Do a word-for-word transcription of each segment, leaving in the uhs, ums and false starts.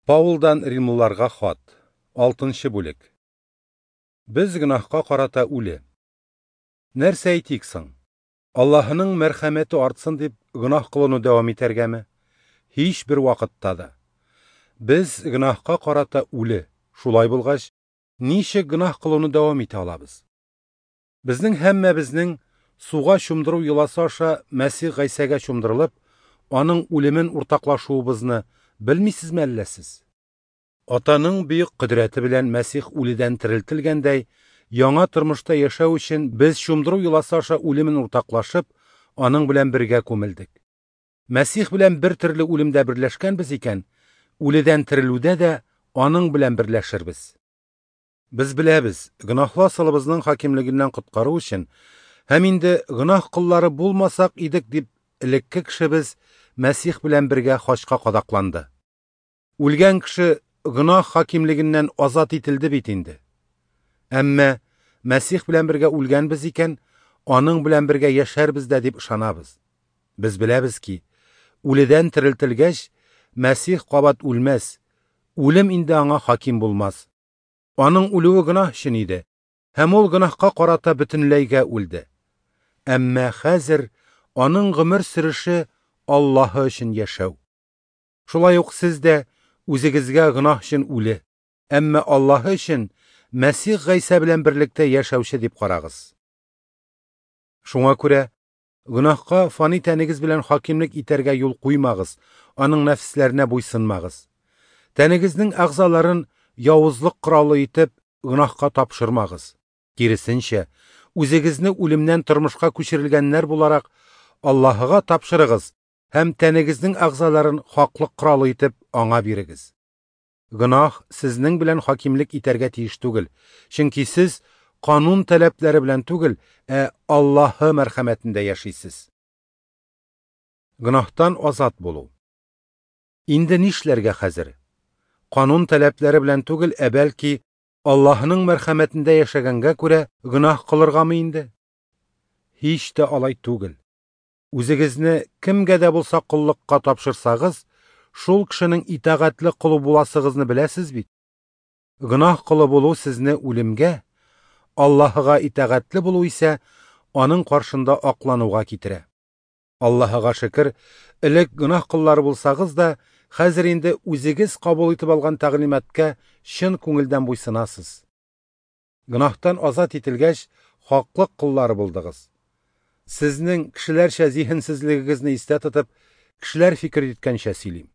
Паулдан Римлыларга хат, алтынчы бүлек. Без гөнаһка карата үле. Нәрсә әйтик соң? Аллаһының мәрхәмәте артсын дип гөнаһ кылуны дәвам итәргәме? Һич бер вакытта да. Без гөнаһка карата үле. Шулай булгач, ничек гөнаһ кылуны дәвам итә алабыз? Безнең һәммәбезнең суга чумдыру йоласы аша Мәсих Гайсәгә чумдырылып, аның үлемен уртаклашуыбызны белмисезме әллә сез? Атаның бөек кодрәте белән Мәсих үледән терелтелгәндәй, яңа тормышта яшәү өчен без чумдыру йоласы аша үлемен уртаклашып, аның белән бергә күмелдек. Мәсих белән бер төрле үлемдә берләшкәнбез икән, үледән терелүдә дә аның белән берләшербез. Без беләбез, гөнаһлы асылыбызның хакимлегеннән коткару өчен һәм инде гөнаһ коллары булмасак идек дип элекке кешебез Мәсих белән бергә хачка кадакланды. Үлгән кеше гөнаһ хакимлегеннән азат ителде бит инде. Әмма Мәсих белән бергә үлгәнбез икән, аның белән бергә яшәрбез дә дип ышанабыз. Без беләбез ки, үледән терелтелгәч, Мәсих кабат үлмәс, үлем инде аңа хаким булмас. Аның үлүе гөнаһ өчен иде, һәм ул гөнаһка карата бөтенләйгә үлде. Әмма хәзер аның гомер сөреше Аллаһы өчен яшәү. Шулай ук сез дә үзегезгә гөнаһ өчен үле, әмма Аллаһы өчен Мәсих Гайсә белән берлектә яшәүче дип карагыз. Шуңа күрә гөнаһка фани тәнегез белән хакимлек итәргә юл куймагыз, аның нәфесләренә буйсынмагыз. Тәнегезнең әгъзаларын явызлык коралы итеп гөнаһка тапшырмагыз. Киресенчә, үзегезне үлемнән тормышка күчерелгәннәр буларак Аллаһыга тапшырыгыз һәм тәнегезнең әгъзаларын хаклык коралы итеп аңа бирегез. Гөнаһ сезнең белән хакимлек итәргә тиеш түгел, чөнки сез канун таләпләре белән түгел, ә Аллаһы мәрхәмәтендә яшисез. Гөнаһтан азат булу. Инде нишләргә хәзер? Канун таләпләре белән түгел, ә бәлки Аллаһының мәрхәмәтендә яшәгәнгә күрә гөнаһ кылыргамы инде? Һич тә алай түгел. Үзегезне кемгә дә булса коллыкка тапшырсагыз, шул кешенең итагатьле колы буласыгызны беләсез бит. Гөнаһ колы булу сезне үлемгә, Аллаһыга итагатьле булу исә аның каршында аклануга китерә. Аллаһыга шөкер, элек гөнаһ коллары булсагыз да, хәзер инде үзегез кабул итеп алган тәгълиматка чын күңелдән буйсынасыз. Гөнаһтан азат ителгәч, хаклык коллары булдыгыз. Сезнең кешеләрчә зиһенсезлегегезне истә тотып, кешеләр фикер иткәнчә сөйлим.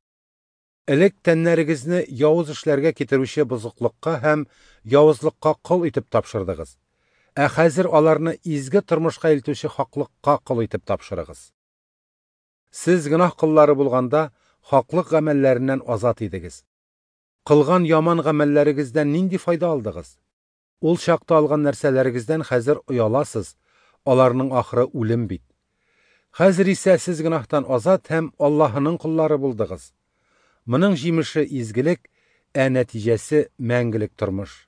Элек тәннәрегезне явыз эшләргә китерүче бозыклыкка һәм явызлыкка кол итеп тапшырдыгыз. Ә хәзер аларны изге тормышка илтүче хаклыкка кол итеп тапшырыгыз. Сез гөнаһ коллары булганда хаклык гамәлләреннән азат идегез. Кылган яман гамәлләрегездән нинди файда алдыгыз? Ул чакта алган нәрсәләрегездән хәзер ояласыз, аларның ахыры үлем бит. Хәзер исә сез гөнаһтан азат һәм Аллаһының коллары булдыгыз. Моның җимеше изгелек, ә нәтиҗәсе мәңгелек тормыш.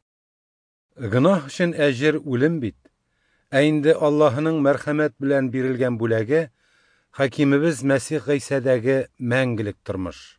Гөнаһ өчен әҗер үлем бит. Ә инде Аллаһының мәрхәмәт белән бирелгән бүләге хакимебез Мәсих Гайсәдәге мәңгелек тормыш.